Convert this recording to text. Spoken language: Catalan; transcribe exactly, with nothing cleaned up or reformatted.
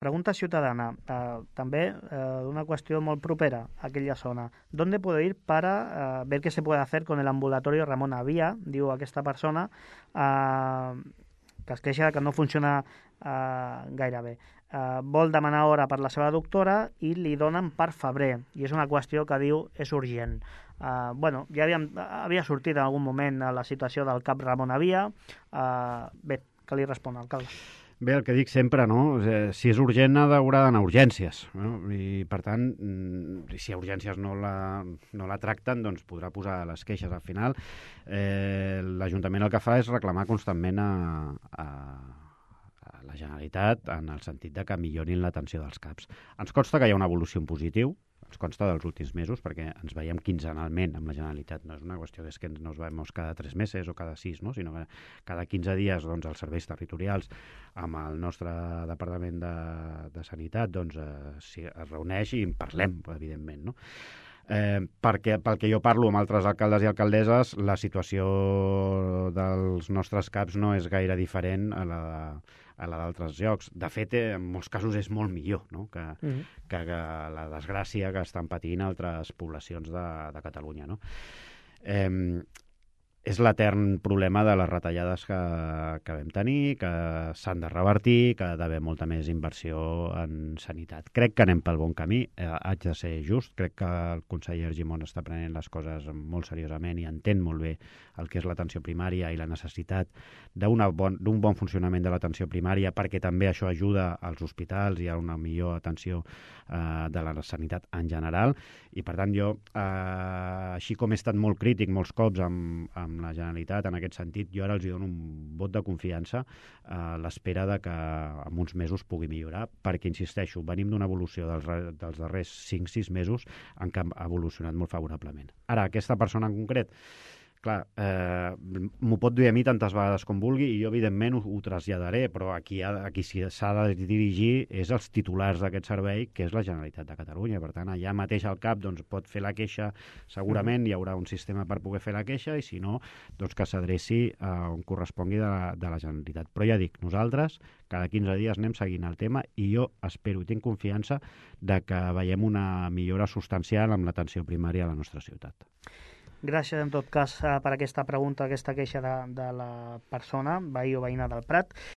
Pregunta ciudadana, uh, també uh, una qüestió molt propera a aquella zona. ¿Dónde puedo ir para uh, ver qué se puede hacer con el ambulatorio Ramon Avia? Diu aquesta persona uh, que es queixa que no funciona uh, gaire bé. Uh, vol demanar hora per la seva doctora i li donen per febrer. I és una qüestió que diu és urgent. Uh, bueno, ja havíem, havia sortit en algun moment a la situació del cap Ramon Avia. Uh, bé, que li respon, alcalde. Bé, el que dic sempre, no? Si és urgent, haurà d'anar a urgències. No? I, per tant, si a urgències no la, no la tracten, doncs podrà posar les queixes. Al final, eh, l'Ajuntament el que fa és reclamar constantment a, a, a la Generalitat en el sentit de que millorin l'atenció dels CAPs. Ens consta que hi ha una evolució en positiu, ens consta dels últims mesos, perquè ens veiem quinzenalment amb la Generalitat. No és una qüestió que, és que no ens veiem cada tres mesos o cada sis, no? Sinó que cada quinze dies doncs, els serveis territorials amb el nostre Departament de, de Sanitat doncs, eh, si es reuneix i en parlem, evidentment, no? Eh, perquè pel que jo parlo amb altres alcaldes i alcaldesses, la situació dels nostres CAPs no és gaire diferent a la a la d'altres llocs. De fet, en molts casos és molt millor, no? que, mm-hmm. que, que la desgràcia que estan patint altres poblacions de, de Catalunya. No? Eh, és l'etern problema de les retallades que, que vam tenir, que s'han de revertir, que ha d'haver molta més inversió en sanitat. Crec que anem pel bon camí, eh, haig de ser just, crec que el conseller Argimon està prenent les coses molt seriosament i entén molt bé el que és l'atenció primària i la necessitat d'un bon, bon funcionament de l'atenció primària, perquè també això ajuda als hospitals i a una millor atenció eh, de la sanitat en general. I per tant jo, eh, així com he estat molt crític molts cops amb, amb amb la Generalitat en aquest sentit, jo ara els dono un vot de confiança a l'espera de que en uns mesos pugui millorar, perquè, insisteixo, venim d'una evolució dels, dels darrers cinc sis mesos en què ha evolucionat molt favorablement. Ara, aquesta persona en concret, clar, eh, m'ho pot dir a mi tantes vegades com vulgui i jo, evidentment, ho, ho traslladaré, però aquí, ha, aquí s'ha de dirigir és els titulars d'aquest servei, que és la Generalitat de Catalunya. Per tant, allà mateix al cap doncs, pot fer la queixa, segurament hi haurà un sistema per poder fer la queixa i, si no, doncs que s'adreci a on correspongui de la, de la Generalitat. Però ja dic, nosaltres cada quinze dies anem seguint el tema i jo espero i tinc confiança de que veiem una millora substancial amb l'atenció primària a la nostra ciutat. Gràcies, en tot cas, per aquesta pregunta, aquesta queixa de, de la persona, veí o veïna del Prat.